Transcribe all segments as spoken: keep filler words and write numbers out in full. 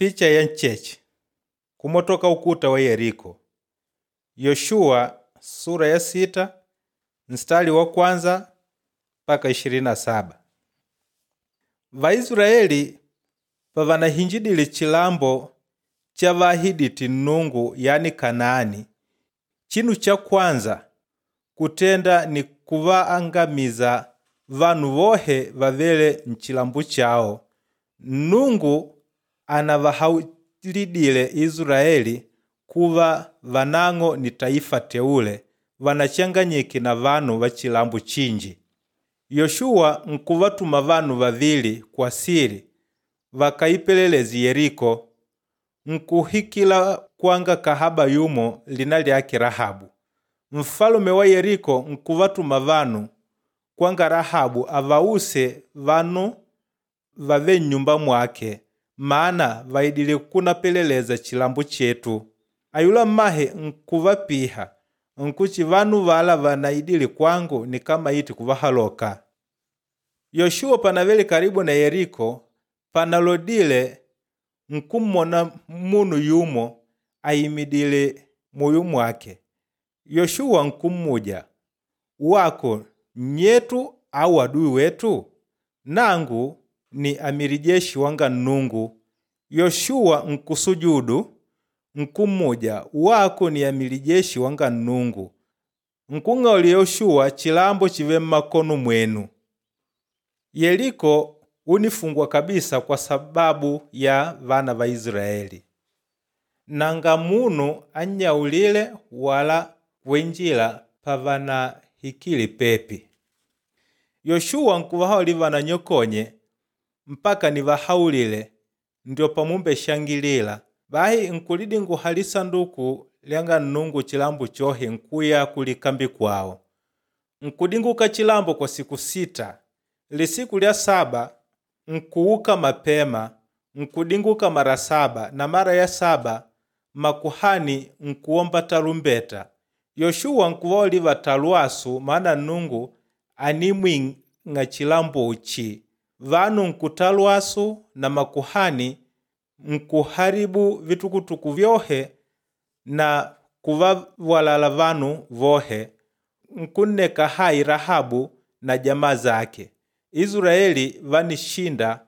Picha ya ncheche kumotoka ukuta wa Yeriko. Yoshua sura ya sita mstari wa kwanza mpaka ishirini na saba. Vaisraeli pavanahinjidile chilambo cha vaahidite Nnungu yani Kanaani, chinu cha kwanza kutenda ni kuvaangamiza vanu vohe vavele nchilambo chao. Nnungu anavahaulidile Israeli kuva vanang'o ni taifa teule vanachanganyike na vanu va chilambo chinji. Yoshua nkuvatuma vanu vavili kwa sili vakaipeleleze Yeriko, nkuhikila kwanga kahaba yumo lina lyake Rahabu. Mfalume wa Yeriko nkuvatuma vanu kwanga Rahabu avause vanu vave nnyumba mwake maana vaidile kunapeleleza chilambo chetu. Ayula mmahe nkuvapiha nkuti vanu vala vanaidile kwangu nikamaite kuvahaloka. Yoshua panavele karibu na Yeriko panalodile nkummona munu yumo ayimidile muyo mwake. Yoshua nkummuja, wako nnyetu au adui wetu? Nangu ni amiri jeshi wanga Nnungu. Yoshua nkusujudu nkummuja, wako ni amiri jeshi wanga Nnungu. Nkung'auli Yoshua chilambo chive mmakono mwenu. Yeriko unifungwa kabisa kwa sababu ya vana va Israeli. Nanga munu annyaulile wala kuinjila pavanahikile pepi. Yoshua nkuvahauli vananyokonye mpaka nivahaulile ndio pamumbeshangilila. Bahi nkulidinguha lisanduku lyanga Nnungu chilambo chohe nkuya kulikambi kwawo. Nkudinguka chilambo kwa siku sita. Lisiku lya saba nkuuka mapema nkudinguka mara saba na mara ya saba makuhani nkuomba tarumbeta. Yoshua nkuvauli vatalwasu maana Nnungu animwing'a chilambochi. Vanu nkutalwasu na makuhani nkuharibu vitukutuku vyohe na kuvawalala vanu vohe nkunneka hai Rahabu na jamaa zake. Israeli vanishinda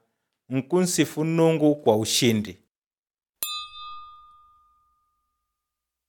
nkunsifu Nnungu kwa ushindi.